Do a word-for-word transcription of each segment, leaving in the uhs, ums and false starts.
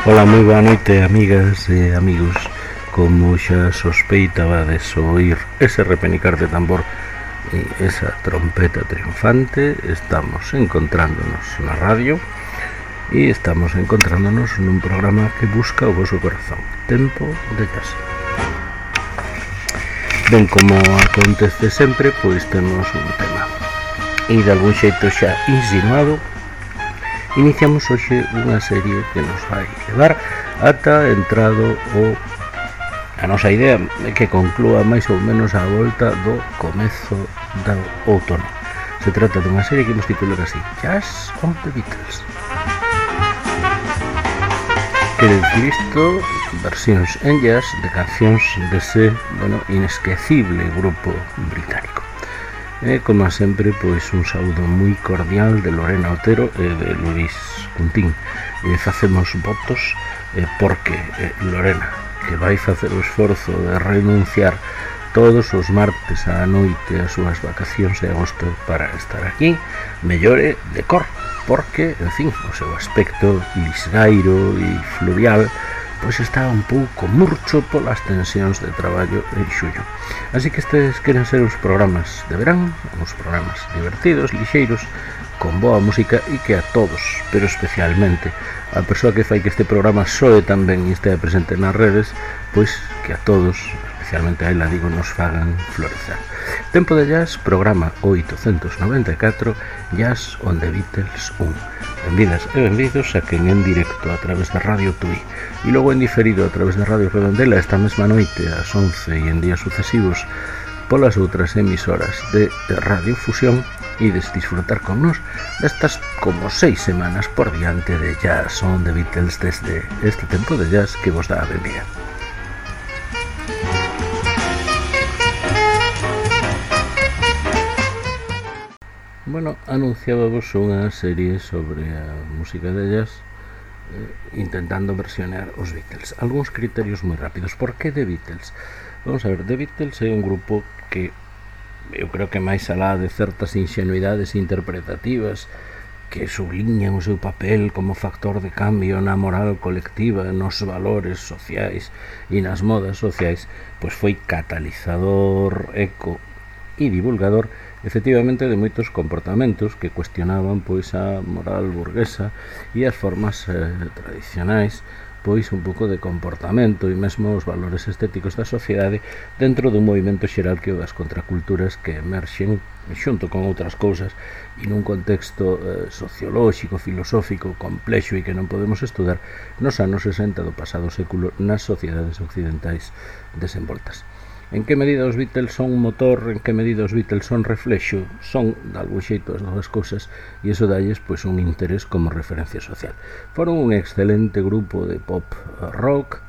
Ola, moi boa noite, amigas e amigos. Como xa sospeitabades oír ese repenicar de tambor e esa trompeta triunfante, estamos encontrándonos na radio e estamos encontrándonos nun programa que busca o voso corazón, Tempo de Jazz. Ben, como acontece sempre, pois temos un tema e de algún xeito xa insinuado. Iniciamos hoxe unha serie que nos vai levar ata entrado o a nosa idea é que conclúa máis ou menos a volta do comezo do outono. Se trata dunha serie que imos titular así: Jazz on the Beatles. Quere dicir isto, versións en jazz de cancións dese, bueno, inesquecible grupo británico. E, como sempre, pois un saúdo moi cordial de Lorena Otero e de Luis Cuntín. E facemos votos eh, porque eh, Lorena, que vai facer o esforzo de renunciar todos os martes á noite as súas vacacións de agosto para estar aquí, mellore de cor, porque, en fin, o seu aspecto lisgairo e fluvial pois está un pouco murcho polas tensións de traballo en xullo. Así que estes queren ser os programas de verán, uns programas divertidos, lixeiros, con boa música e que a todos, pero especialmente a persoa que fai que este programa soe tamén e estea presente nas redes, pois que a todos, especialmente a ela, digo, nos fagan florecer. Tempo de Jazz, programa oitocentos noventa e catro, Jazz on the Beatles un. Benvidas e benvidos a quen en directo a través de Radio Tui e logo en diferido a través de Radio Redondela esta mesma noite ás once e en días sucesivos polas outras emisoras de Radio Fusión e de disfrutar con nos destas como seis semanas por diante de Jazz on the Beatles desde este tempo de jazz que vos dá a benvida. Bueno, anunciábamos unha serie sobre a música de jazz eh, intentando versionar os Beatles. Algúns criterios moi rápidos. Por que The Beatles? Vamos a ver, The Beatles é un grupo que eu creo que máis alá de certas ingenuidades interpretativas que subliñan o seu papel como factor de cambio na moral colectiva, nos valores sociais e nas modas sociais, pois foi catalizador, eco e divulgador efectivamente de moitos comportamentos que cuestionaban pois a moral burguesa e as formas eh, tradicionais pois un pouco de comportamento e mesmo os valores estéticos da sociedade dentro dun movimento xeral que o das contraculturas que emerxen xunto con outras cousas e nun contexto eh, sociolóxico, filosófico, complexo e que non podemos estudar nos anos sesenta do pasado século nas sociedades occidentais desenvoltas. En que medida os Beatles son un motor, en que medida os Beatles son reflexo, son, de algún xeito, as novas cousas, e iso dalles pois, un interés como referencia social. Foron un excelente grupo de pop rock,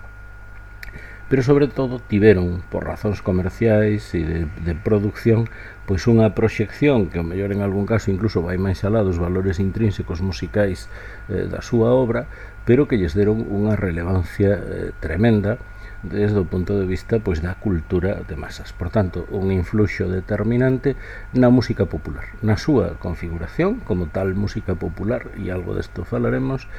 pero sobre todo tiveron, por razóns comerciais e de, de producción, pois unha proxección que, ao mellor en algún caso, incluso vai máis alá dos valores intrínsecos musicais eh, da súa obra, pero que lles deron unha relevancia eh, tremenda desde o punto de vista pois da cultura de masas. Por tanto, un influxo determinante na música popular, na súa configuración como tal música popular, e algo desto falaremos,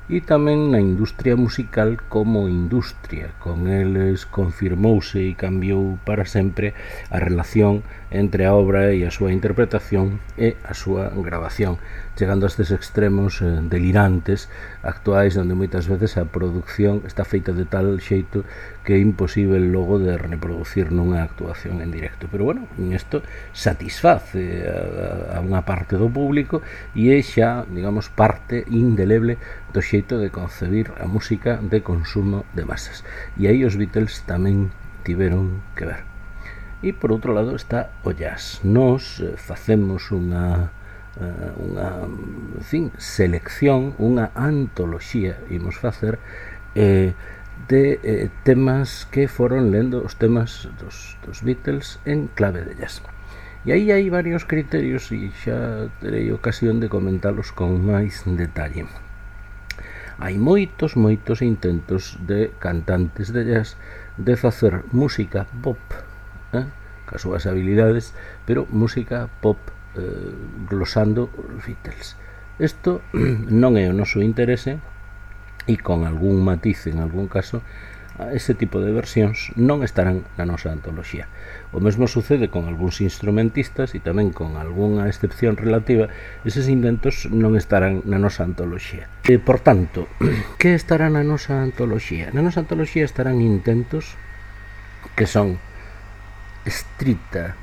e tamén na industria musical como industria. Con eles confirmouse e cambiou para sempre a relación entre a obra e a súa interpretación e a súa grabación, chegando a estes extremos eh, delirantes actuais onde moitas veces a producción está feita de tal xeito que é imposible logo de reproducir nunha actuación en directo. Pero bueno, isto satisface a, a unha parte do público e é xa, digamos, parte indeleble do xeito de concebir a música de consumo de masas. E aí os Beatles tamén tiveron que ver. E por outro lado está o jazz. Nos eh, facemos unha Uh, unha, en fin, selección, unha antoloxía, imos facer eh, de eh, temas que foron lendo os temas dos, dos Beatles en clave de jazz. E aí hai varios criterios e xa terei ocasión de comentalos con máis detalle. Hai moitos, moitos intentos de cantantes de jazz de facer música pop, eh, cas súas habilidades, pero música pop glosando os Beatles. Isto non é o noso interese e con algún matiz en algún caso, ese tipo de versións non estarán na nosa antoloxía. O mesmo sucede con algúns instrumentistas e tamén con algunha excepción relativa, eses intentos non estarán na nosa antoloxía. E, por tanto, que estará na nosa antoloxía? Na nosa antoloxía estarán intentos que son estrita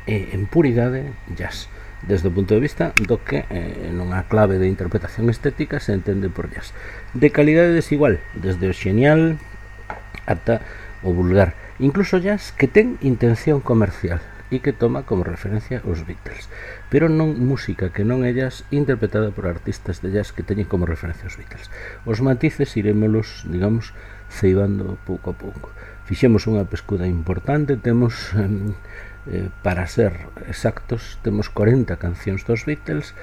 e en puridade jazz, desde o punto de vista do que eh, nunha clave de interpretación estética se entende por jazz, de calidade desigual, desde o xenial ata o vulgar, incluso jazz que ten intención comercial e que toma como referencia os Beatles, pero non música que non é jazz interpretada por artistas de jazz que teñen como referencia os Beatles. Os matices irémolos, digamos, ceibando pouco a pouco. Fixemos unha pescuda importante, temos eh, Eh, para ser exactos, temos corenta cancións dos Beatles,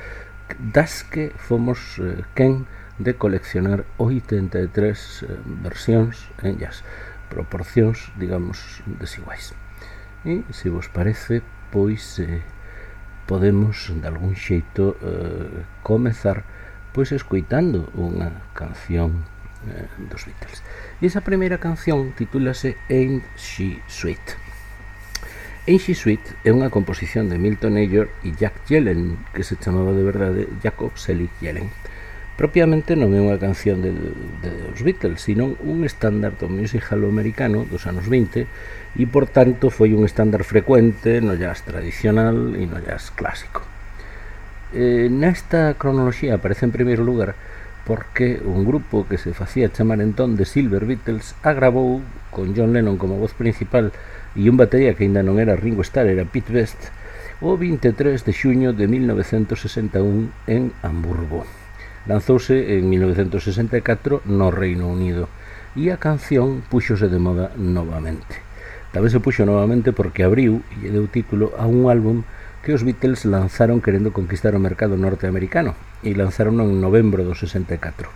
das que fomos eh, quen de coleccionar oitenta e tres eh, versións en jazz, proporcións, digamos, desiguais. E, se vos parece, pois eh, podemos, de algún xeito, eh, comezar pois escoitando unha canción eh, dos Beatles. E esa primeira canción titúlase Ain't She Sweet. Ain't She Sweet é unha composición de Milton Ager e Jack Yellen, que se chamaba de verdade Jacob Selig Yellen. Propiamente non é unha canción de, de, de os Beatles, sino un estándar do music hall americano dos anos vinte e, por tanto, foi un estándar frecuente no jazz tradicional e no jazz clásico. Eh, nesta cronoloxía aparece en primeiro lugar porque un grupo que se facía chamar entón The Silver Beatles agravou con John Lennon como voz principal e un batería que ainda non era Ringo Starr, era Pete Best, o vinte e tres de xuño de mil novecentos sesenta e un en Hamburgo. Lanzouse en mil novecentos sesenta e catro no Reino Unido e a canción puxose de moda novamente. Tamén se puxo novamente porque abriu e deu título a un álbum que os Beatles lanzaron querendo conquistar o mercado norteamericano e lanzaron en novembro do sesenta e catro.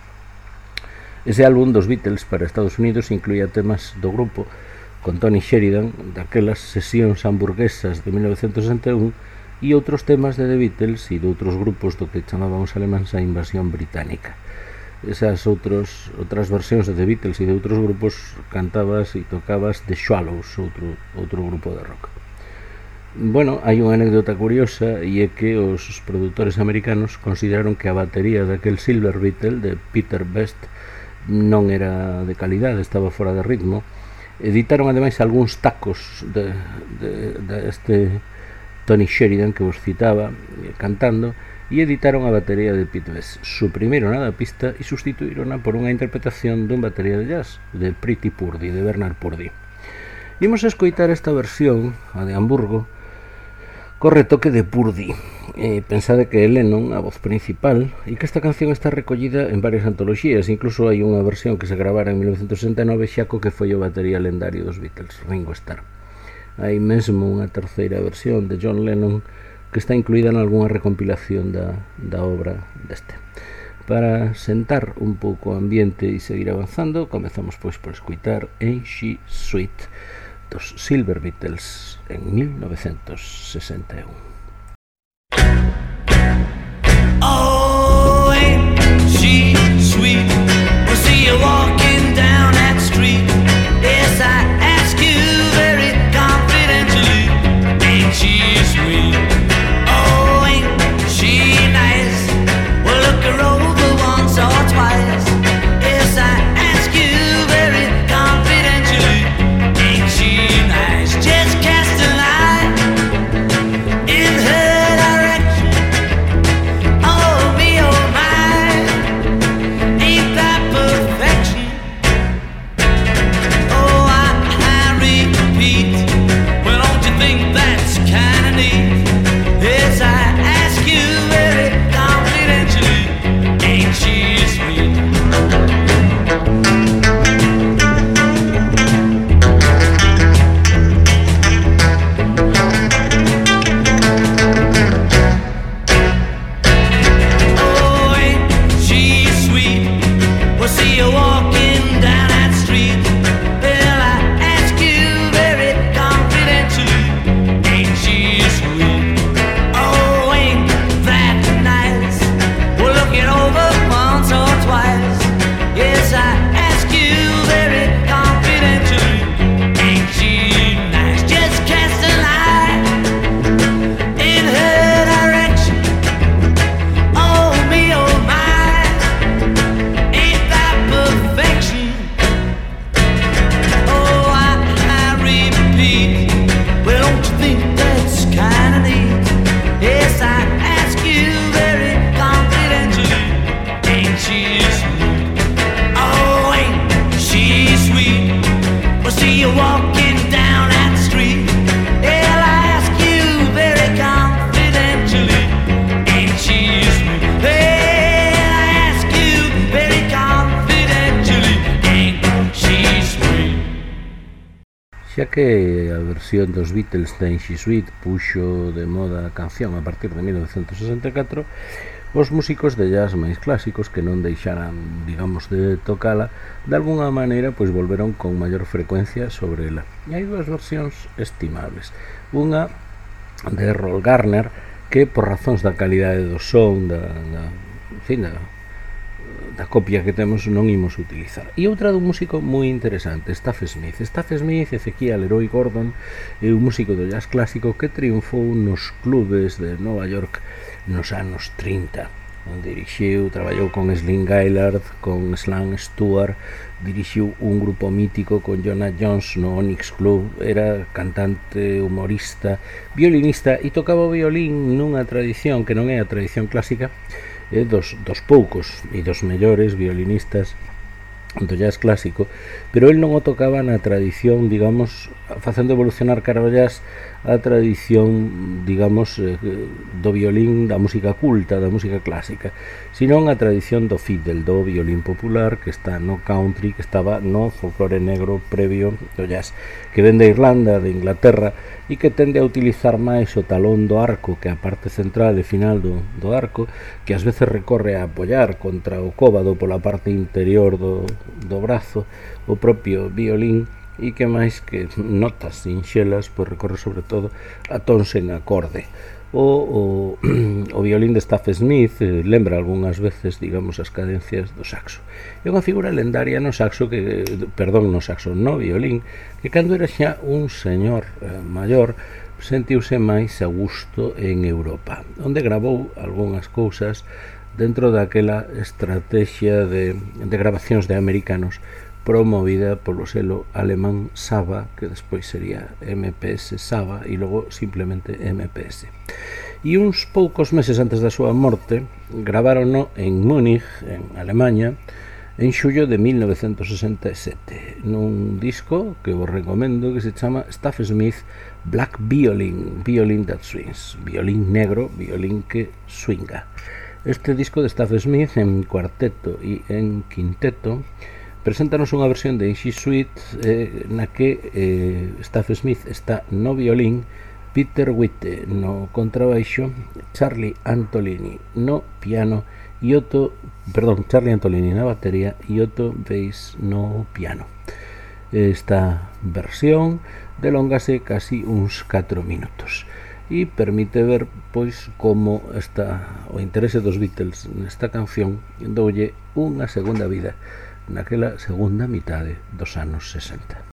Ese álbum dos Beatles para Estados Unidos incluía temas do grupo con Tony Sheridan, daquelas sesións hamburguesas de mil novecentos sesenta e un, e outros temas de The Beatles e de outros grupos do que chamaban os alemáns a invasión británica. Esas outros, outras versións de The Beatles e de outros grupos cantabas e tocabas The Swallows, outro, outro grupo de rock. Bueno, hai unha anécdota curiosa e é que os produtores americanos consideraron que a batería daquel Silver Beatle de Peter Best non era de calidade, estaba fora de ritmo. Editaron ademais algúns tacos de, de, de este Tony Sheridan que vos citaba cantando e editaron a batería de Pete Best, suprimiron a da pista e sustituírona por unha interpretación dun batería de jazz de Pretty Purdy, de Bernard Purdy. Imos a escoitar esta versión, a de Hamburgo, co retoque de Purdy. Eh, pensade que é Lennon a voz principal e que esta canción está recollida en varias antoloxías, incluso hai unha versión que se gravara en mil novecentos sesenta e nove xa co que foi o batería lendario dos Beatles, Ringo Starr. Hai mesmo unha terceira versión de John Lennon que está incluída en algunha recompilación da, da obra deste. Para sentar un pouco o ambiente e seguir avanzando, comezamos pois por escutar Ain't She Sweet dos Silver Beatles en mil novecentos sesenta e un. Oh, ain't she sweet? We'll see you walking down that street. Yes, I ask you very confidentially. Ain't she sweet? Oh, ain't she nice? We'll look her over once or twice. Yes, I ask you very confidentially. Ain't she nice? Just cast an eye in xa que a versión dos Beatles da She Suite puxo de moda a canción a partir de mil novecentos sesenta e catro, os músicos de jazz máis clásicos que non deixaran, digamos, de tocala, de alguna maneira, pois volveron con maior frecuencia sobre ela. E hai dúas versións estimables. Unha de Errol Garner, que por razóns da calidade do son, da, da, en fin, da, da copia que temos, non imos utilizar. E outra dun músico moi interesante, Staff Smith. Staff Smith, Ezequiel Leroy Gordon, é un músico do jazz clásico que triunfou nos clubes de Nova York nos anos trinta. Dirixiu, traballou con Slim Gaillard, con Slam Stewart, dirixiu un grupo mítico con Jonah Jones no Onyx Club, era cantante, humorista, violinista e tocaba o violín nunha tradición que non é a tradición clásica, eh, dos, dos poucos e dos mellores violinistas do jazz clásico, pero el non o tocaba na tradición, digamos, facendo evolucionar cara ao jazz a tradición, digamos, eh, do violín da música culta, da música clásica, senón a tradición do fiddle, do violín popular, que está no country, que estaba no folclore negro previo do jazz, que ven de Irlanda, de Inglaterra, e que tende a utilizar máis o talón do arco, que a parte central e final do, do arco, que ás veces recorre a apoiar contra o cóbado pola parte interior do, do brazo, o propio violín, e que máis que notas sinxelas, pois recorre sobre todo a tons en acorde. O, o, o violín de Staff Smith eh, lembra algunhas veces, digamos, as cadencias do saxo. É unha figura lendaria no saxo, que, perdón, no saxo, no violín, que cando era xa un señor eh, maior, sentiuse máis a gusto en Europa, onde gravou algunhas cousas dentro daquela estrategia de, de grabacións de americanos promovida polo selo alemán Saba, que despois sería M P S Saba e logo simplemente M P S. E uns poucos meses antes da súa morte gravárono en Múnich, en Alemanha, en xullo de mil novecentos sesenta e sete, nun disco que vos recomendo, que se chama Staff Smith Black Violin, Violin That Swings, violín negro, violín que swinga. Este disco de Staff Smith en cuarteto e en quinteto preséntanos unha versión de She Suite eh, na que eh, Staff Smith está no violín, Peter Witte no contrabaixo, Charlie Antolini no piano e Otto, perdón, Charlie Antolini na batería e Otto Weiss no piano. Esta versión delóngase casi uns catro minutos e permite ver pois como está o interese dos Beatles nesta canción, doulle unha segunda vida naquela segunda mitade dos anos sesenta.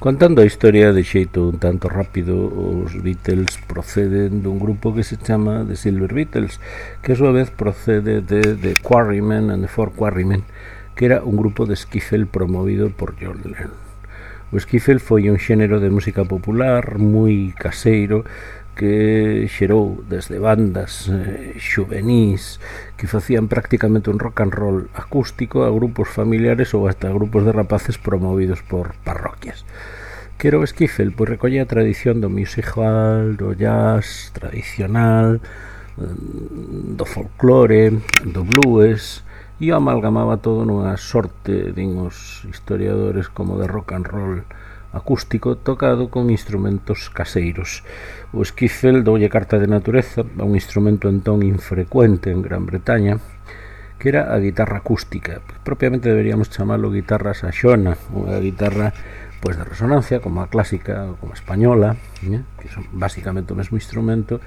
Contando a historia de xeito un tanto rápido, os Beatles proceden dun grupo que se chama The Silver Beatles, que a súa vez procede de The Quarrymen and the Four Quarrymen, que era un grupo de skiffle promovido por John Lennon. O skiffle foi un xénero de música popular moi caseiro que xerou desde bandas eh, xuvenís que facían prácticamente un rock and roll acústico a grupos familiares ou hasta grupos de rapaces promovidos por parroquias. Que era o skiffle? Pois recollía a tradición do music hall, do jazz tradicional, do folclore, do blues, e o amalgamaba todo nunha sorte, din os historiadores, como de rock and roll acústico tocado con instrumentos caseiros. O skiffle doulle carta de natureza a un instrumento entón infrecuente en Gran Bretaña, que era a guitarra acústica. Propiamente deberíamos chamalo guitarra saxona, unha guitarra pois de resonancia, como a clásica, como a española, eh? que son basicamente o mesmo instrumento,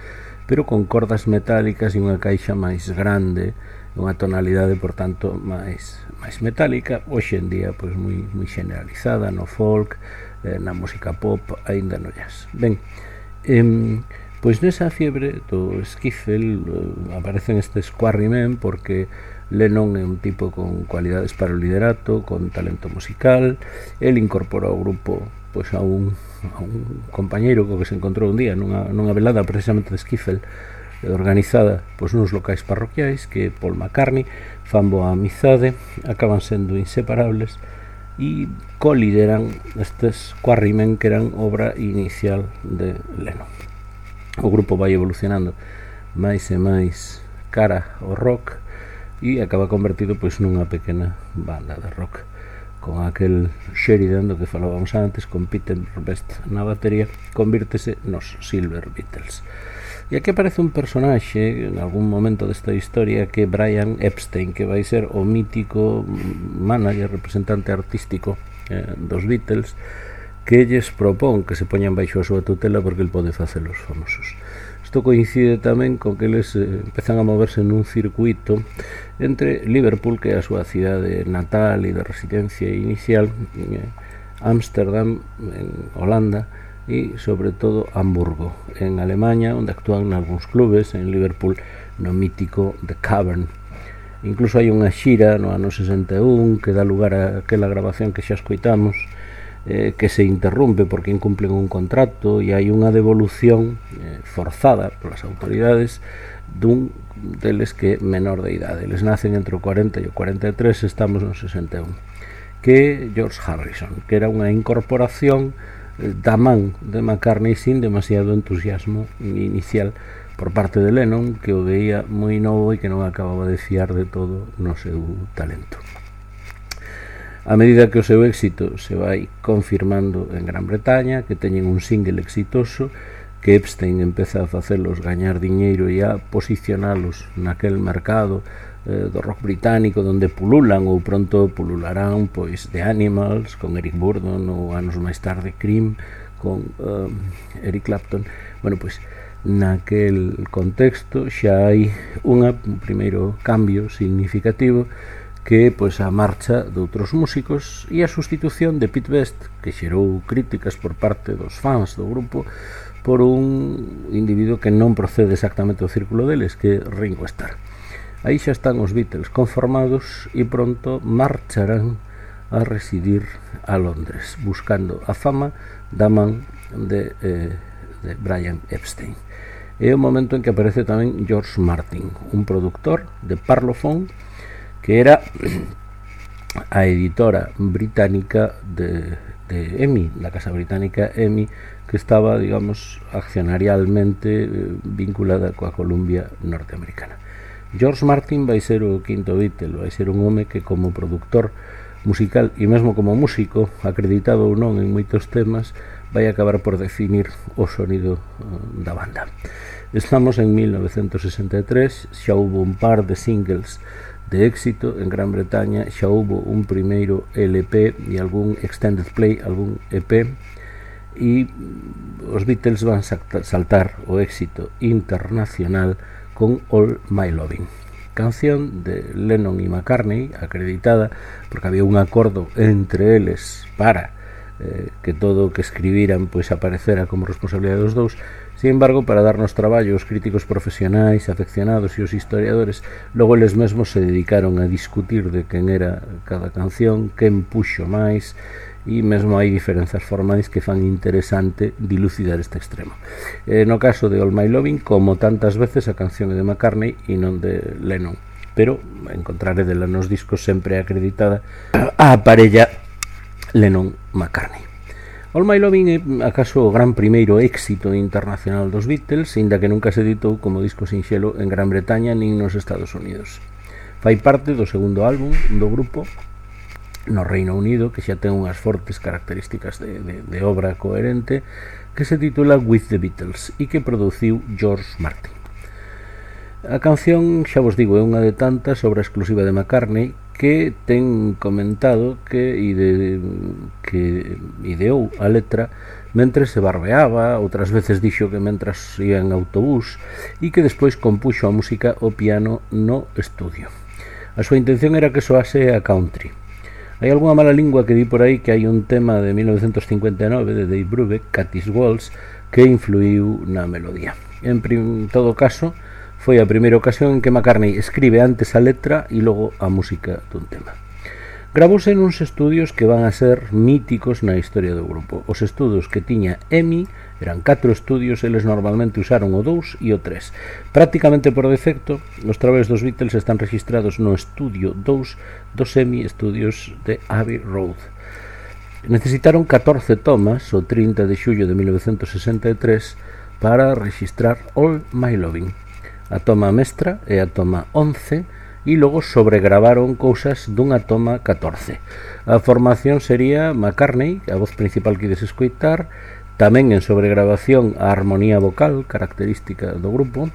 pero con cordas metálicas e unha caixa máis grande, unha tonalidade, por tanto, máis máis metálica, hoxe en día pois moi moi generalizada no folk, eh, na música pop, aínda no jazz. Ben, eh, pois nesa fiebre do skiffle eh, aparecen estes Quarrymen porque Lennon é un tipo con cualidades para o liderato, con talento musical. El incorporou ao grupo pois a un, a un compañeiro co que se encontrou un día nunha, nunha velada precisamente de skiffle organizada pois nuns locais parroquiais, que Paul McCartney fan boa amizade, acaban sendo inseparables e colideran estes Quarrymen, que eran obra inicial de Lennon. O grupo vai evolucionando máis e máis cara ao rock e acaba convertido pois nunha pequena banda de rock, con aquel Sheridan do que falábamos antes, con Peter Best na batería, convírtese nos Silver Beatles. E aquí aparece un personaxe en algún momento desta historia, que é Brian Epstein, que vai ser o mítico manager, representante artístico eh, dos Beatles, que lles propón que se poñan baixo a súa tutela porque el pode facelos famosos. Isto coincide tamén con que eles eh, empezan a moverse nun circuito entre Liverpool, que é a súa cidade natal e de residencia inicial, eh, Ámsterdam, en Holanda, e sobre todo Hamburgo, en Alemanha, onde actúan nalgúns clubes, en Liverpool no mítico The Cavern. Incluso hai unha xira no ano sesenta e un que dá lugar a aquela grabación que xa escoitamos, eh, que se interrompe porque incumplen un contrato, e hai unha devolución eh, forzada polas autoridades dun deles que é menor de idade. Eles nacen entre o cuarenta e o cuarenta e tres, estamos no sesenta e un, que é George Harrison, que era unha incorporación da man de McCartney sin demasiado entusiasmo inicial por parte de Lennon, que o veía moi novo e que non acababa de fiar de todo no seu talento. A medida que o seu éxito se vai confirmando en Gran Bretaña, que teñen un single exitoso, que Epstein empeza a facelos gañar diñeiro e a posicionalos naquel mercado eh, do rock británico, donde pululan ou pronto pulularán pois The Animals con Eric Burdon, ou anos máis tarde Cream con uh, Eric Clapton. Bueno, pois naquel contexto xa hai unha, un primeiro cambio significativo, que pois a marcha de outros músicos e a sustitución de Pete Best, que xerou críticas por parte dos fans do grupo, por un individuo que non procede exactamente do círculo deles, que é Ringo Starr. Aí xa están os Beatles conformados e pronto marcharán a residir a Londres, buscando a fama da man de, eh, de Brian Epstein. É o momento en que aparece tamén George Martin, un productor de Parlophone, que era a editora británica de, de E M I, la casa británica E M I, que estaba, digamos, accionarialmente eh, vinculada coa Columbia norteamericana. George Martin vai ser o quinto Beatle, vai ser un home que como productor musical e mesmo como músico, acreditado ou non en moitos temas, vai acabar por definir o sonido uh, da banda. Estamos en mil novecentos sesenta e tres, xa houve un par de singles de éxito en Gran Bretaña, xa houve un primeiro L P e algún extended play, algún E P, e os Beatles van saltar o éxito internacional con All My Loving, canción de Lennon e McCartney, acreditada porque había un acordo entre eles para eh, que todo o que escribiran pois aparecera como responsabilidade dos dous. Sin embargo, para darnos traballo os críticos profesionais, afeccionados e os historiadores, logo eles mesmos se dedicaron a discutir de quen era cada canción, quen puxo máis, e mesmo hai diferenzas formais que fan interesante dilucidar este extremo. Eh, no caso de All My Loving, como tantas veces, a canción é de McCartney e non de Lennon, pero encontrare dela nos discos sempre acreditada a parella Lennon-McCartney. All My Loving é acaso o gran primeiro éxito internacional dos Beatles, inda que nunca se editou como disco sinxelo en Gran Bretaña nin nos Estados Unidos. Fai parte do segundo álbum do grupo no Reino Unido, que xa ten unhas fortes características de, de, de obra coherente, que se titula With the Beatles e que produciu George Martin. A canción, xa vos digo, é unha de tantas, obra exclusiva de McCartney, que ten comentado que, ide, que ideou a letra mentre se barbeaba, outras veces dixo que mentras ia en autobús, e que despois compuxo a música ao piano no estudio. A súa intención era que soase a country. Hai algunha mala lingua que di por aí que hai un tema de mil novecentos cincuenta e nove de Dave Brubeck, Cathy's Waltz, que influiu na melodía. En prim, todo caso, foi a primeira ocasión en que McCartney escribe antes a letra e logo a música dun tema. Gravouse nuns estudios que van a ser míticos na historia do grupo. Os estudios que tiña EMI eran catro estudios, eles normalmente usaron o dous e o tres. Prácticamente por defecto, os traballos dos Beatles están registrados no estudio dous dos EMI Studios de Abbey Road. Necesitaron catorce tomas, o trinta de xullo de mil novecentos sesenta e tres, para registrar All My Loving. A toma mestra é a toma once e logo sobregravaron cousas dunha toma catorce. A formación sería McCartney, a voz principal que ides escoitar, tamén en sobregravación a armonía vocal, característica do grupo.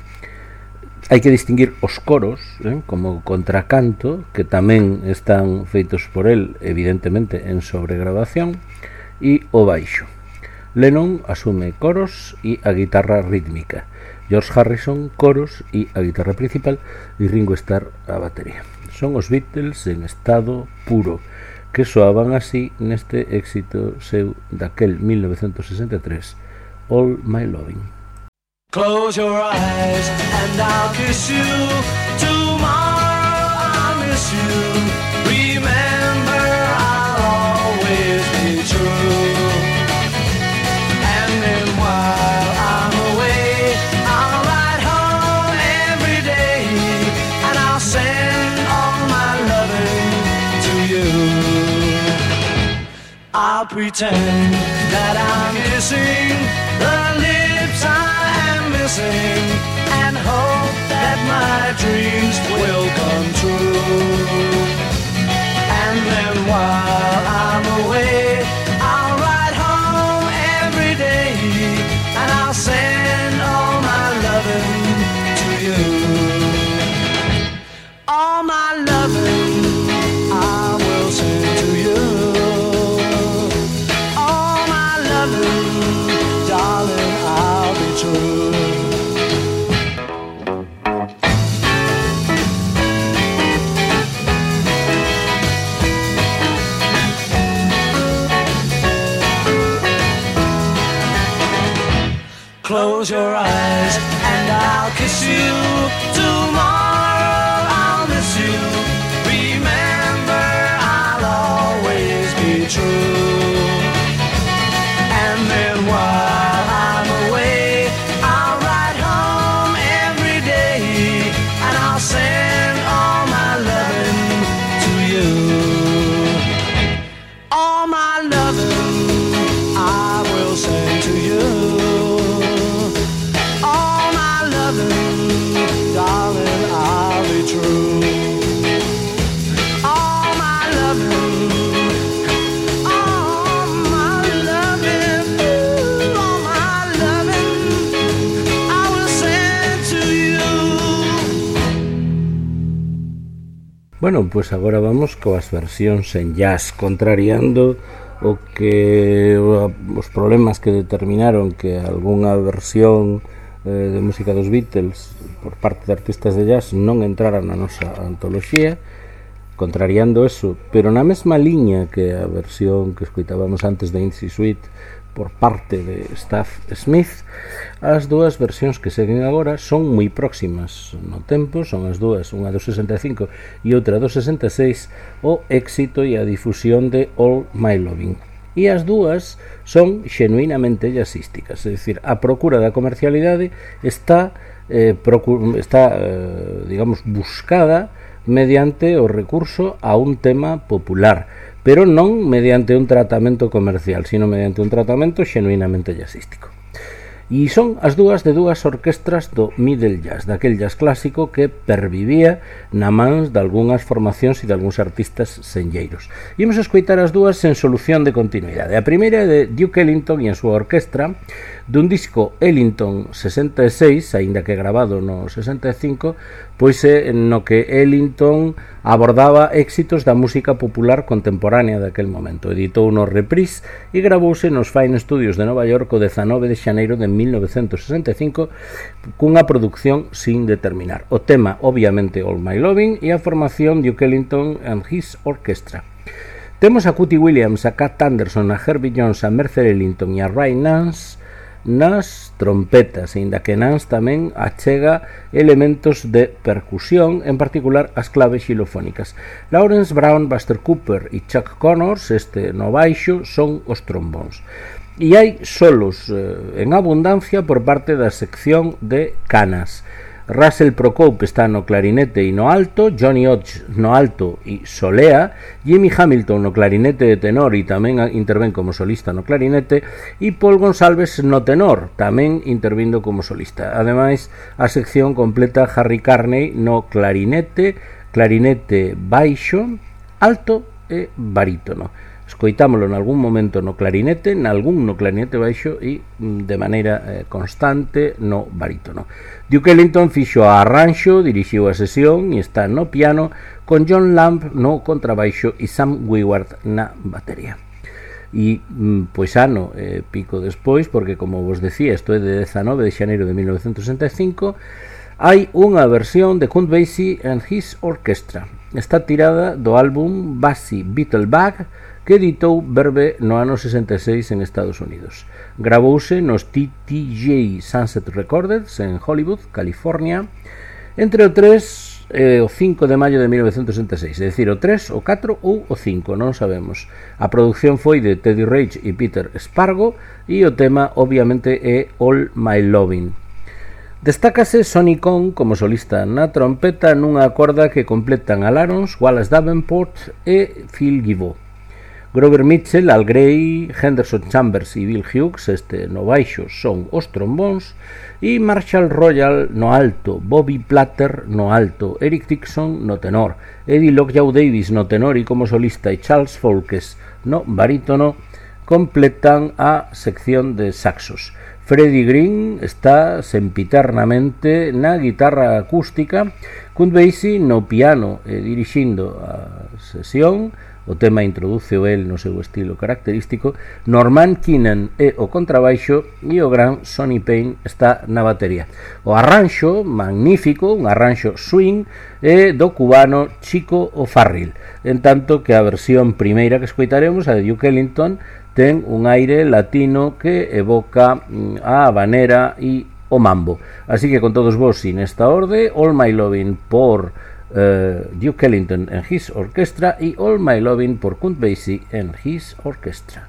Hai que distinguir os coros, eh, como contracanto, que tamén están feitos por el, evidentemente, en sobregravación, e o baixo. Lennon asume coros e a guitarra rítmica. George Harrison, coros e a guitarra principal, e Ringo Starr a batería. Son os Beatles en estado puro, que soaban así neste éxito seu daquel mil novecentos sesenta e tres, All My Loving. Close your eyes and I'll kiss you. Tomorrow I'll miss you. Remember, I'll always be true. And then while I'm away, I'll ride home every day, and I'll send all my loving to you. I'll pretend that I'm kissing the lips I am missing, and hope that my dreams will come true. And then while I'm away, I'll ride home every day, and I'll send all my loving to you. All my loving I will send to you. All my loving, darling, I'll be true. Close your eyes and I'll kiss you. Tomorrow I'll miss you. Remember, I'll always be true. And then while I'm away, I'll ride home every day, and I'll send all my loving to you. All my loving I will send to you. Darling, I'll be true. All my loving, all my loving, ooh, all my loving, I will send to you. Bueno, pues agora vamos coas versións en jazz, contrariando o que os problemas que determinaron que algunha versión de música dos Beatles por parte de artistas de jazz non entrara na nosa antoloxía. contrariando eso, pero na mesma liña que a versión que escoitábamos antes de Easy Sweet por parte de Staff Smith, as dúas versións que seguen agora son moi próximas no tempo, son as dúas, unha do sesenta e cinco e outra do sesenta e seis, o éxito e a difusión de All My Loving. E as dúas son xenuinamente jazzísticas, é dicir, a procura da comercialidade está, eh, procu- está eh, digamos, buscada mediante o recurso a un tema popular, pero non mediante un tratamento comercial, sino mediante un tratamento xenuinamente jazzístico. E son as dúas de dúas orquestras do middle jazz, daquel jazz clásico que pervivía na mans de algunhas formacións e de algúns artistas senlleiros. Imos escoitar as dúas en solución de continuidade. A primeira é de Duke Ellington e a súa orquestra, dun disco Ellington sesenta e seis, aínda que grabado no sesenta e cinco, pois é no que Ellington abordaba éxitos da música popular contemporánea daquel momento. Editou no Reprise e gravouse nos Fine Studios de Nova York o dezanove de xaneiro de mil novecentos sesenta e cinco cunha produción sin determinar. O tema, obviamente, All My Loving e a formación Duke Ellington and His Orchestra. Temos a Cootie Williams, a Cat Anderson, a Herbie Jones, a Mercer Ellington e a Ray Nance nas trompetas, inda que Nance tamén achega elementos de percusión, en particular as claves xilofónicas. Lawrence Brown, Buster Cooper e Chuck Connors, este no baixo, son os trombóns. E hai solos eh, en abundancia por parte da sección de canas. Russell Procope está no clarinete e no alto, Johnny Hodge no alto e solea, Jimmy Hamilton no clarinete de tenor e tamén intervén como solista no clarinete, e Paul Gonsalves no tenor, tamén intervindo como solista. Ademais, a sección completa Harry Carney no clarinete, clarinete baixo, alto e barítono. Escoitámolo en algún momento no clarinete, en algún no clarinete baixo e de maneira eh, constante no barítono. Duke Ellington fixo a arranxo, dirixiu a sesión e está no piano con John Lamb no contrabaixo e Sam Weward na batería. E, pois, ano eh, pico despois, porque como vos decía, isto é de dezanove de xaneiro de mil novecentos sesenta e cinco, hai unha versión de Count Basie and His Orchestra. Está tirada do álbum Basie Beetlebag, que editou Verve no ano sesenta e seis en Estados Unidos. Gravouse nos T T J Sunset Recorders en Hollywood, California, entre o tres e o cinco de maio de mil novecentos sesenta e seis, é dicir, o tres, o catro ou o cinco, non sabemos. A produción foi de Teddy Rage e Peter Spargo e o tema, obviamente, é All My Loving. Destácase Sonny Cohn como solista na trompeta nunha corda que completan Al Arons, Wallace Davenport e Phil Gibault. Grover Mitchell, Al Gray, Henderson Chambers e Bill Hughes, este no baixo, son os trombóns, e Marshall Royal no alto, Bobby Platter no alto, Eric Dixon no tenor, Eddie Lockjaw Davis no tenor e como solista e Charles Folkes no barítono completan a sección de saxos. Freddie Green está sempiternamente na guitarra acústica, Count Basie no piano e dirixindo a sesión. O tema introduce o el no seu estilo característico. Norman Keenan é o contrabaixo e o gran Sonny Payne está na batería. O arranxo magnífico, un arranxo swing, é do cubano Chico O'Farrill, en tanto que a versión primeira que escoitaremos, a de Duke Ellington, ten un aire latino que evoca a habanera e o mambo. Así que con todos vos, sin esta orde, All My Loving por Uh, Duke Ellington and His Orchestra e All My Loving por Count Basie and His Orchestra.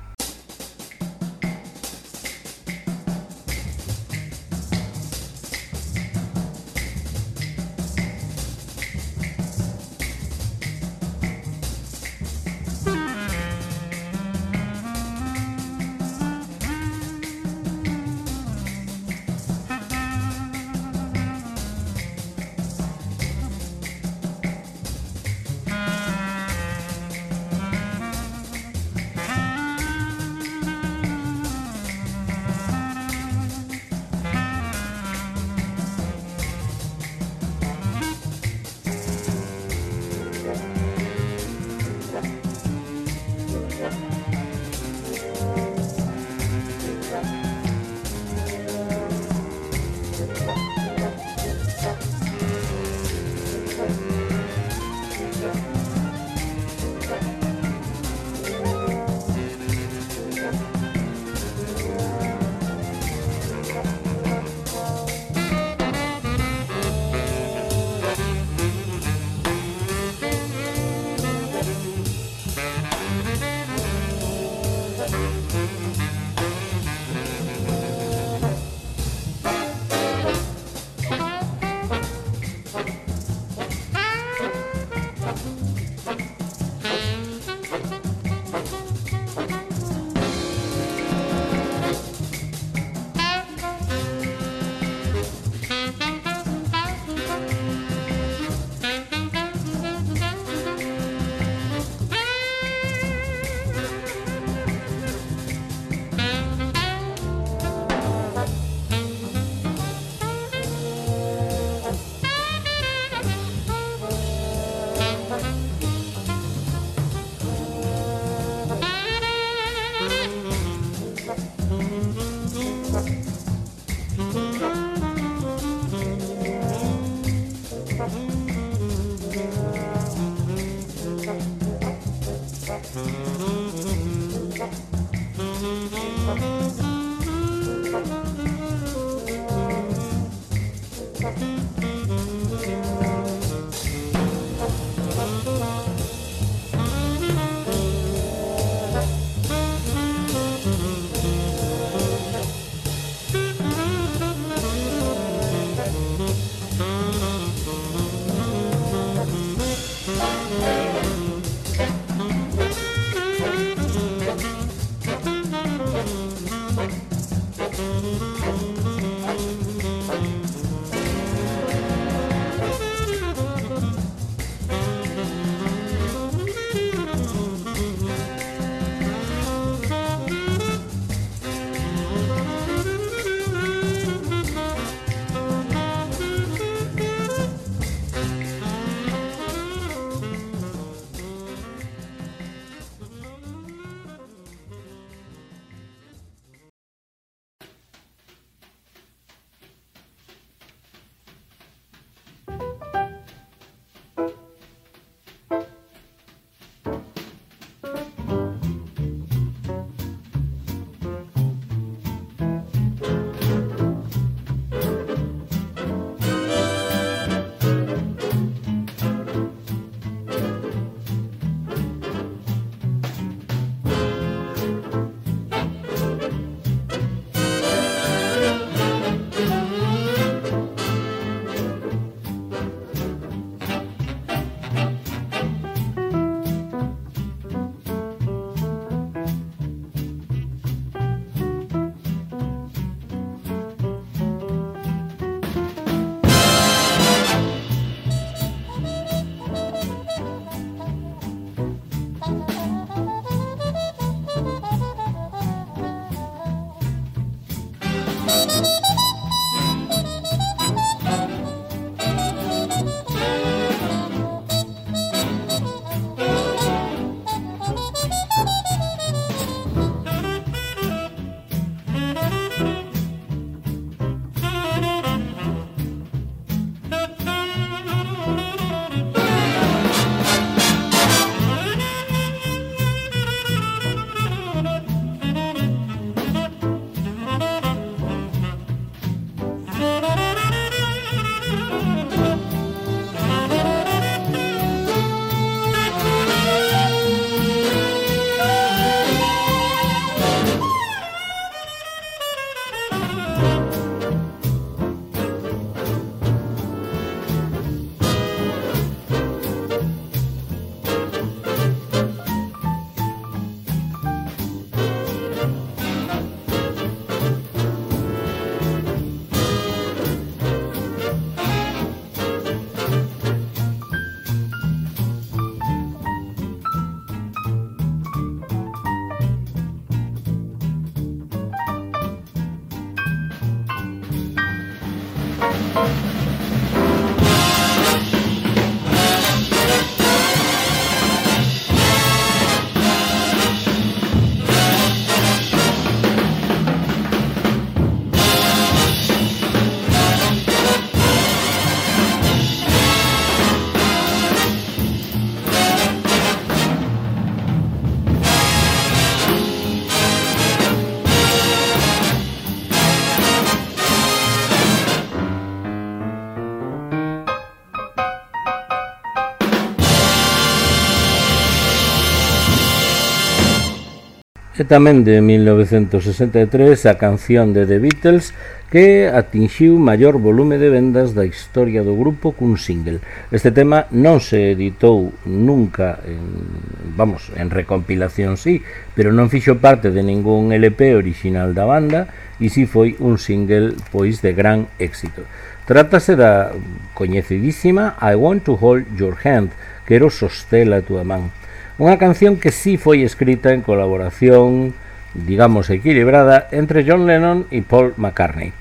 E tamén de mil novecentos sesenta e tres a canción de The Beatles que atinxiu maior volume de vendas da historia do grupo cun single. Este tema non se editou nunca en, vamos, en recompilación sí, pero non fixo parte de ningún L P original da banda e si foi un single pois de gran éxito. Trátase da coñecidísima I Want to Hold Your Hand, quero sostela a túa man. Unha canción que sí foi escrita en colaboración, digamos, equilibrada entre John Lennon e Paul McCartney.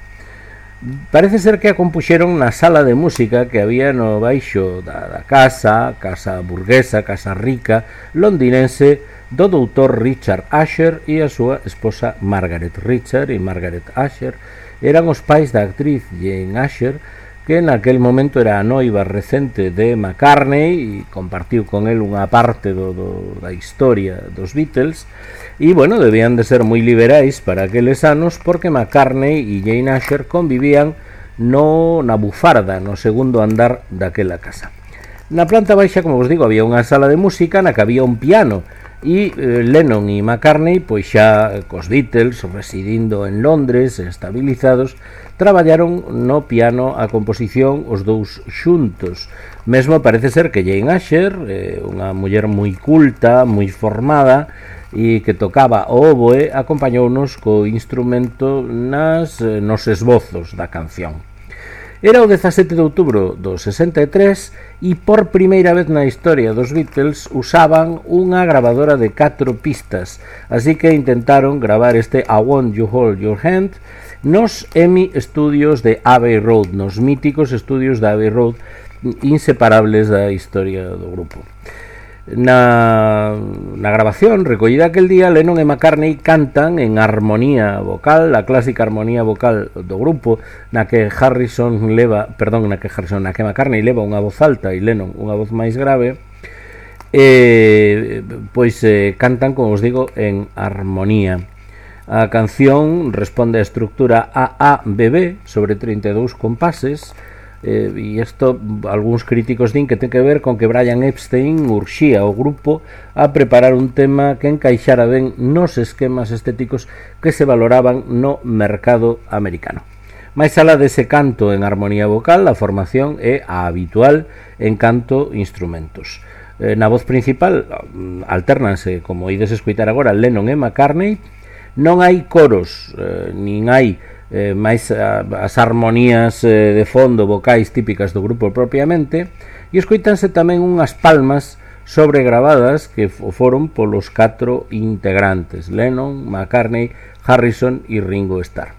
Parece ser que a compuxeron na sala de música que había no baixo da, da casa, casa burguesa, casa rica, londinense, do doutor Richard Asher e a súa esposa Margaret. Richard e Margaret Asher eran os pais da actriz Jane Asher, que naquel momento era a noiva recente de McCartney e compartiu con el unha parte do, do, da historia dos Beatles, e, bueno, debían de ser moi liberais para aqueles anos porque McCartney e Jane Asher convivían no, na bufarda, no segundo andar daquela casa. Na planta baixa, como vos digo, había unha sala de música na que había un piano, e eh, Lennon e McCartney, pois xa cos Beatles, residindo en Londres, estabilizados, traballaron no piano a composición os dous xuntos. Mesmo parece ser que Jane Asher, eh, unha muller moi culta, moi formada, e que tocaba o oboe, acompañounos co instrumento nas, eh, nos esbozos da canción. Era o dezasete de outubro do sesenta e tres e por primeira vez na historia dos Beatles usaban unha grabadora de catro pistas, así que intentaron gravar este I Want You Hold Your Hand nos E M I Studios de Abbey Road, nos míticos estudios de Abbey Road, inseparables da historia do grupo. Na, na grabación recollida aquel día, Lennon e McCartney cantan en armonía vocal, a clásica armonía vocal do grupo, na que Harrison leva, perdón, na que Harrison, na que McCartney leva unha voz alta e Lennon unha voz máis grave, e pois eh, cantan, como os digo, en armonía. A canción responde á estructura A A B B sobre trinta e dous compases. Eh, e isto algúns críticos din que ten que ver con que Brian Epstein urxía o grupo a preparar un tema que encaixara ben nos esquemas estéticos que se valoraban no mercado americano. Mais alá dese canto en armonía vocal, a formación é a habitual en canto instrumentos. Eh, na voz principal alternanse, como ides escoitar agora, Lennon e McCartney. Non hai coros, eh, nin hai Eh, máis a, as armonías eh, de fondo vocais típicas do grupo propiamente, e escoitanse tamén unhas palmas sobregravadas que foron polos catro integrantes, Lennon, McCartney, Harrison e Ringo Starr.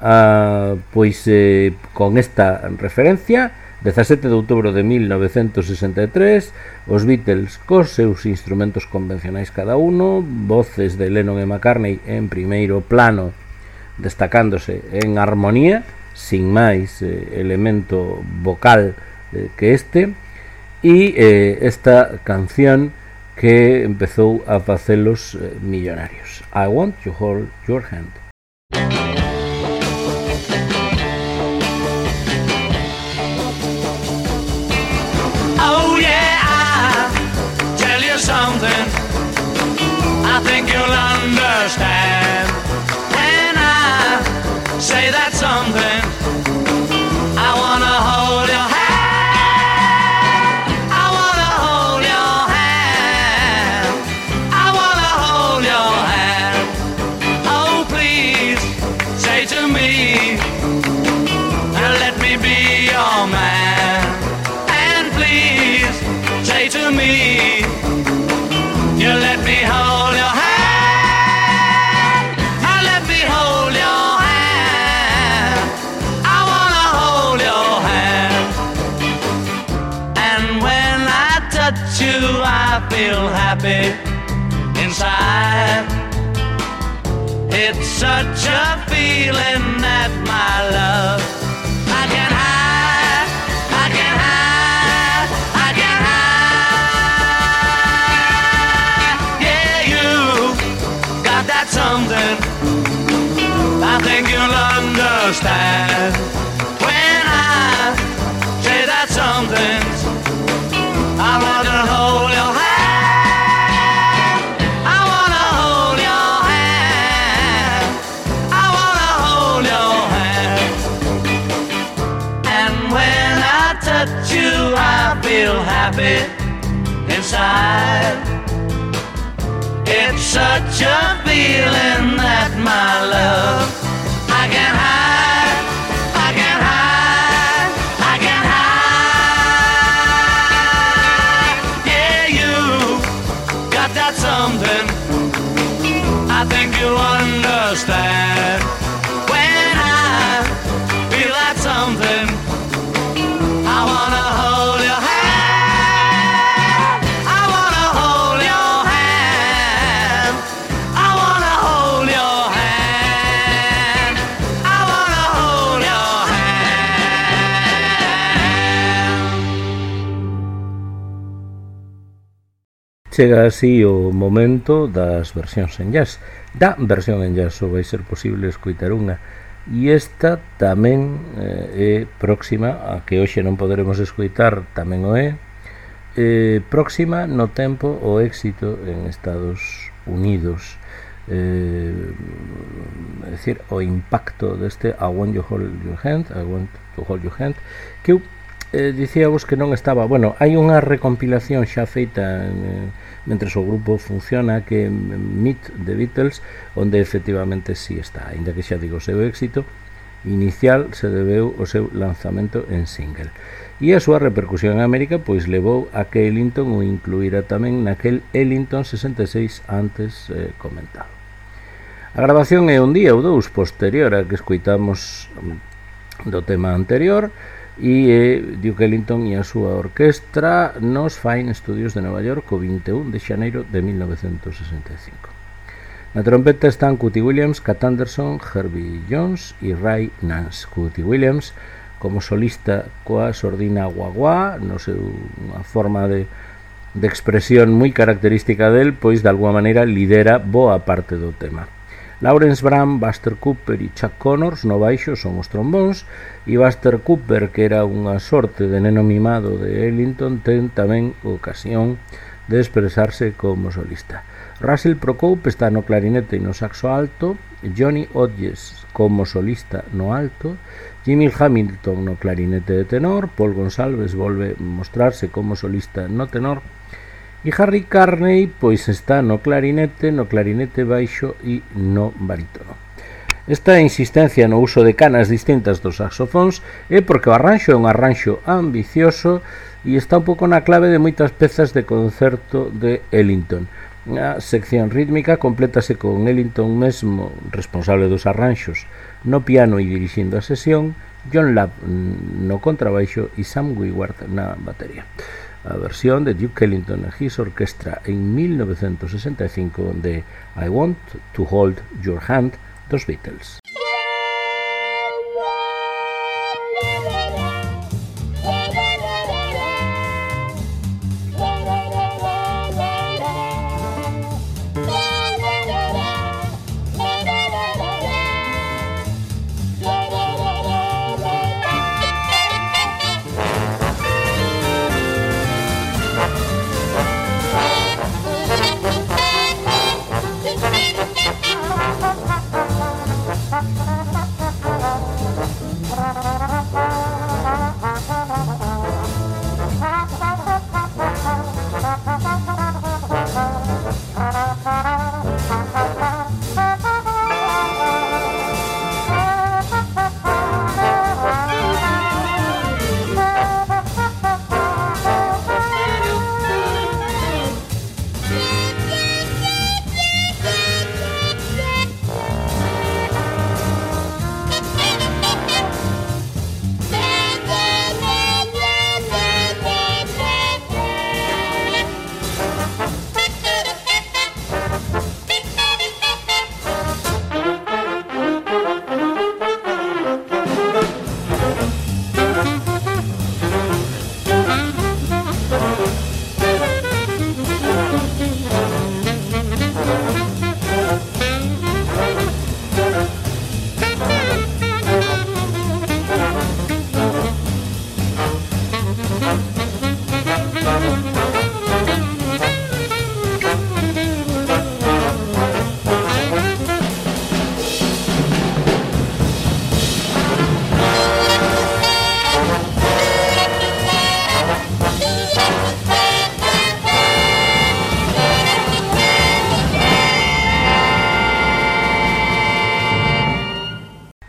Ah, pois eh, con esta referencia, dezasete de outubro de mil novecentos sesenta e tres, os Beatles cos seus instrumentos convencionais cada uno, voces de Lennon e McCartney en primeiro plano, destacándose en armonía, sin máis eh, elemento vocal eh, que este, e eh, esta canción que empezou a facelos eh, millonarios. I Want You Hold Your Hand. Oh yeah, I'll tell you something I think you'll understand. Say that something. I wanna hold your hand. I wanna hold your hand. I wanna hold your hand. Oh, please say to me, let me be your man. And please say to me, you let me hold your hand. You, I feel happy inside. It's such a feeling that my love I can hide, I can hide, I can hide. Yeah, you got that something I think you'll understand when I say that something. I wanna hold your hand. I wanna hold your hand. I wanna hold your hand. And when I touch you, I feel happy inside. It's such a feeling that my love I can hide, I can hide, I can hide. Something I think you'll understand when I feel that something. I wanna hold your hand. I wanna hold your hand. I wanna hold your chega así o momento das versións en jazz. Da versión en jazz só vai ser posible escoitar unha, e esta tamén eh, é próxima a que hoxe non poderemos escoitar, tamén o é eh, próxima no tempo o éxito en Estados Unidos, eh, é dicir, o impacto deste I Want You Hold Your Hand, I Want to Hold Your Hand, que eu eh, dicíavos que non estaba, bueno, hai unha recompilación xa feita en, mentres o grupo funciona, que Meet the Beatles, onde efectivamente sí está, ainda que xa digo, o seu éxito inicial se debeu ao seu lanzamento en single, e a súa repercusión en América pois levou a que Ellington o incluíra tamén naquel Ellington sesenta e seis antes eh, comentado. A grabación é un día ou dous posterior a que escoitamos do tema anterior, e eh, Duke Ellington e a súa orquestra nos Fine Studios de Nova York o vinte e un de xaneiro de mil novecentos sesenta e cinco. Na trompeta están Cootie Williams, Cat Anderson, Herbie Jones e Ray Nance. Cootie Williams como solista coa sordina guaguá, no seu unha forma de, de expresión moi característica del, pois de alguma maneira lidera boa parte do tema. Lawrence Brown, Buster Cooper e Chuck Connors no baixo son os trombóns, e Buster Cooper, que era unha sorte de neno mimado de Ellington, ten tamén ocasión de expresarse como solista. Russell Procope está no clarinete e no saxo alto, Johnny Hodges como solista no alto, Jimmy Hamilton no clarinete de tenor, Paul Gonsalves volve mostrarse como solista no tenor, e Harry Carney pois está no clarinete, no clarinete baixo e no barítono. Esta insistencia no uso de canas distintas dos saxofóns é porque o arranxo é un arranxo ambicioso e está un pouco na clave de moitas pezas de concerto de Ellington. A sección rítmica complétase con Ellington mesmo responsable dos arranxos no piano e dirixindo a sesión, John Lapp no contrabaixo e Sam Weward na batería. A versión de Duke Ellington e His Orchestra en mil novecentos sesenta e cinco de I Want to Hold Your Hand dos Beatles.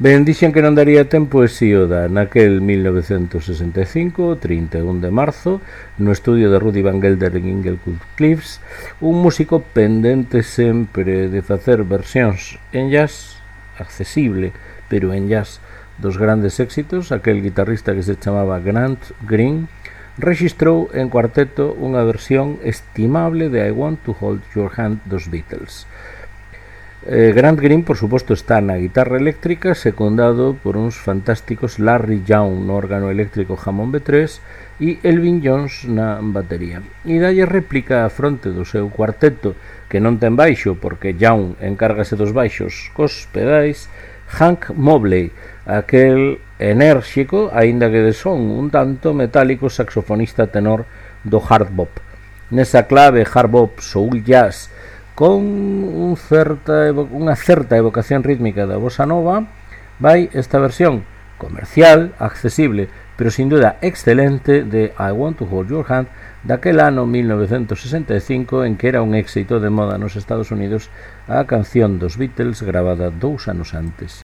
Ben, dixen que non daría tempo e si o da. Naquel mil novecentos sesenta e cinco, trinta e un de marzo, no estudio de Rudy Van Gelder en Inglewood Cliffs, un músico pendente sempre de facer versións en jazz, accesible, pero en jazz, dos grandes éxitos, aquel guitarrista que se chamaba Grant Green, rexistrou en cuarteto unha versión estimable de I Want to Hold Your Hand dos Beatles. Eh, Grant Green, por suposto, está na guitarra eléctrica, secundado por uns fantásticos Larry Young no órgano eléctrico Hammond B tres e Elvin Jones na batería. E dalle réplica a fronte do seu cuarteto, que non ten baixo porque Young encárgase dos baixos cos pedais, Hank Mobley, aquel enérxico, aínda que de son un tanto metálico saxofonista tenor do hard bop. Nesa clave hard bop soul jazz con un certa unha certa evocación rítmica da bossa nova, vai esta versión comercial, accesible, pero sin duda excelente de I Want to Hold Your Hand daquel ano mil novecentos sesenta e cinco, en que era un éxito de moda nos Estados Unidos a canción dos Beatles gravada dous anos antes.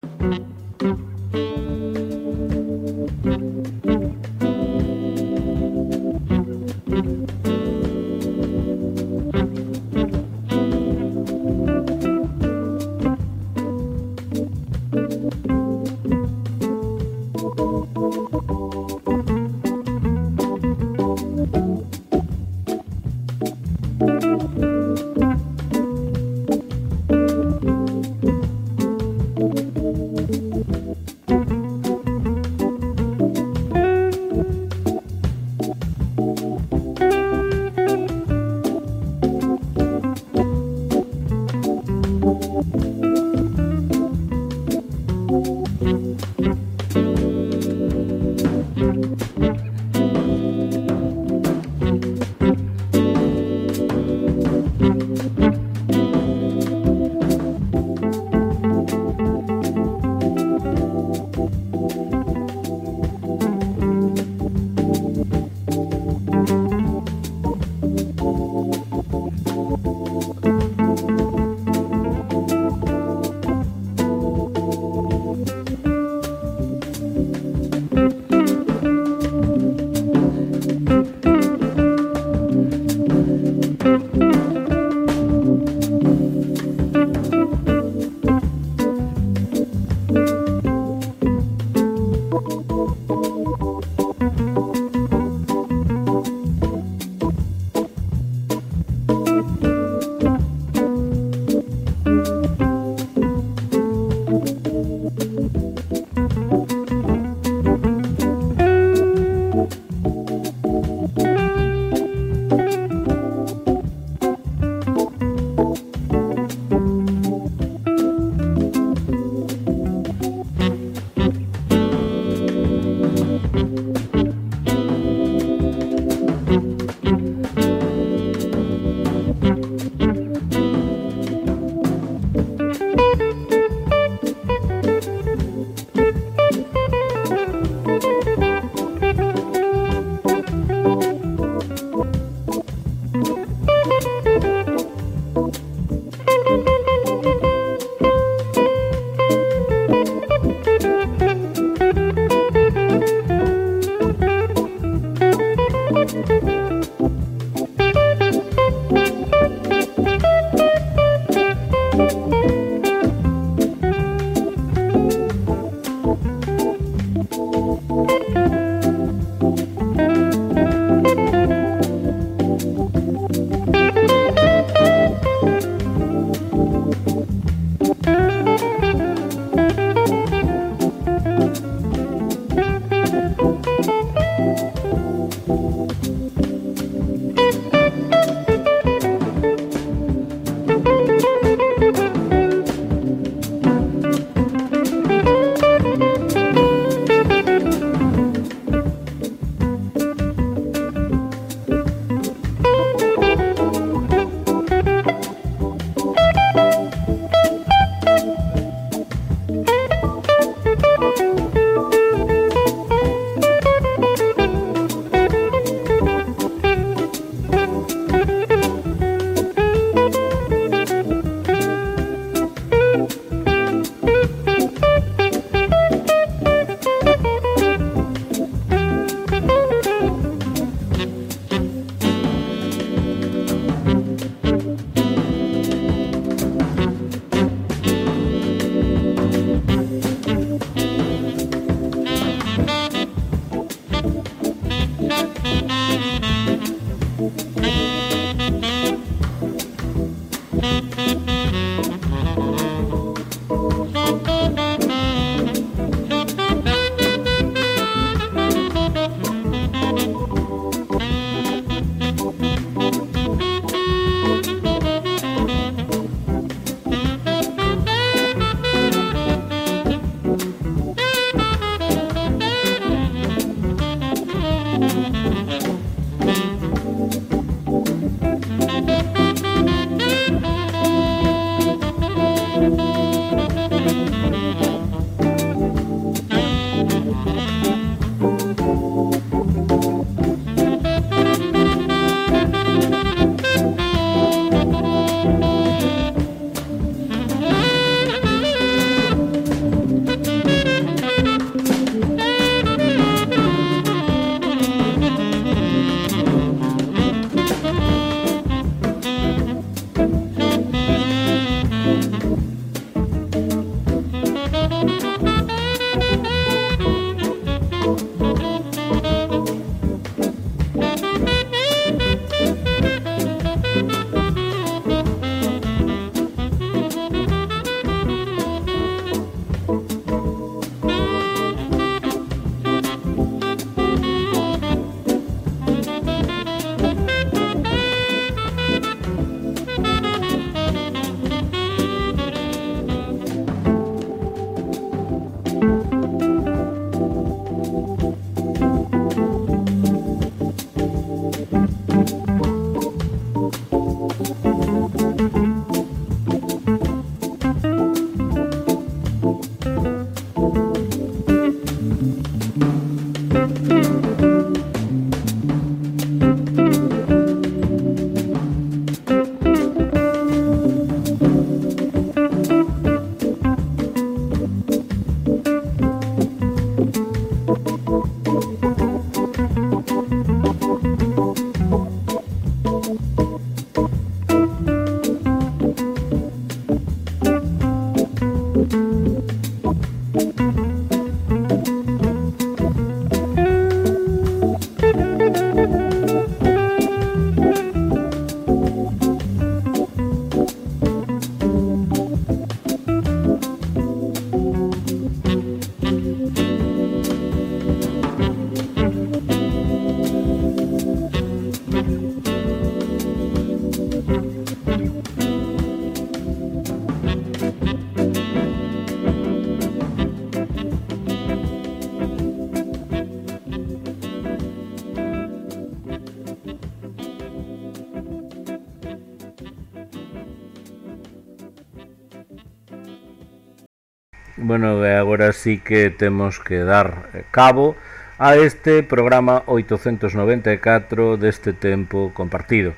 Bueno, e agora sí que temos que dar cabo a este programa oitocentos noventa e catro deste tempo compartido.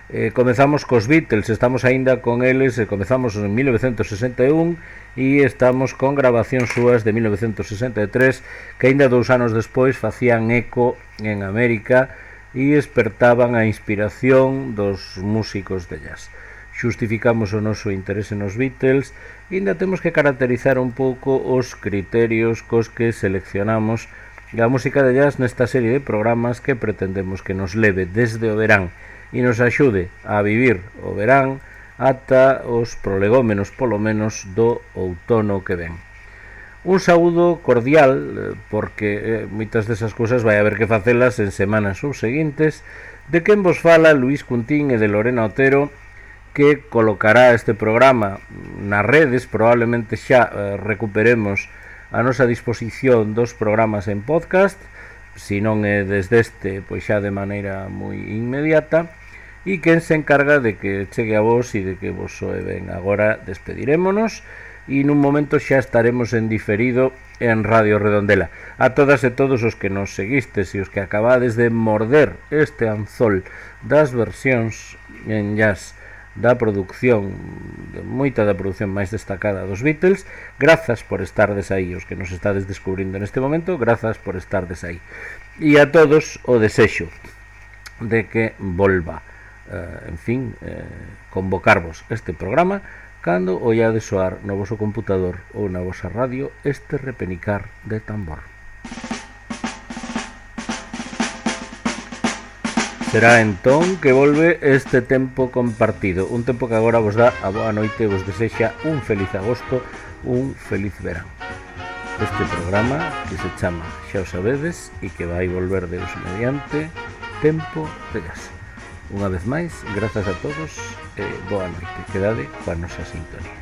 Eh, comezamos cos Beatles, estamos aínda con eles, e comezamos en mil novecentos sesenta e un e estamos con grabacións súas de mil novecentos sesenta e tres que aínda dous anos despois facían eco en América e espertaban a inspiración dos músicos de jazz. Xustificamos o noso interese nos Beatles e ainda temos que caracterizar un pouco os criterios cos que seleccionamos a música de jazz nesta serie de programas que pretendemos que nos leve desde o verán e nos axude a vivir o verán ata os prolegómenos polo menos do outono que ven. Un saúdo cordial, porque eh, moitas desas cousas vai haber que facelas en semanas subseguintes, de quen vos fala Luís Cuntín e de Lorena Otero, que colocará este programa nas redes. Probablemente xa eh, recuperemos a nosa disposición dos programas en podcast, se non é desde este, pois xa de maneira moi inmediata, e quen se encarga de que chegue a vos e de que vos soe ben. Agora despedirémonos e nun momento xa estaremos en diferido en Radio Redondela. A todas e todos os que nos seguistes e os que acabades de morder este anzol das versións en jazz da produción, de moita da produción máis destacada dos Beatles, grazas por estardes aí, os que nos estades descubrindo neste momento, grazas por estardes aí. E a todos o desexo de que volva, eh, en fin, eh, convocarvos este programa cando ollades soar no voso computador ou na vosa radio este repenicar de tambor. Será entón que volve este tempo compartido, un tempo que agora vos dá a boa noite e vos desexa un feliz agosto, un feliz verán. Este programa que se chama, xa o sabedes, e que vai volver Deus mediante, Tempo de Jazz. Unha vez máis, grazas a todos e boa noite. Quedade coa nosa sintonía.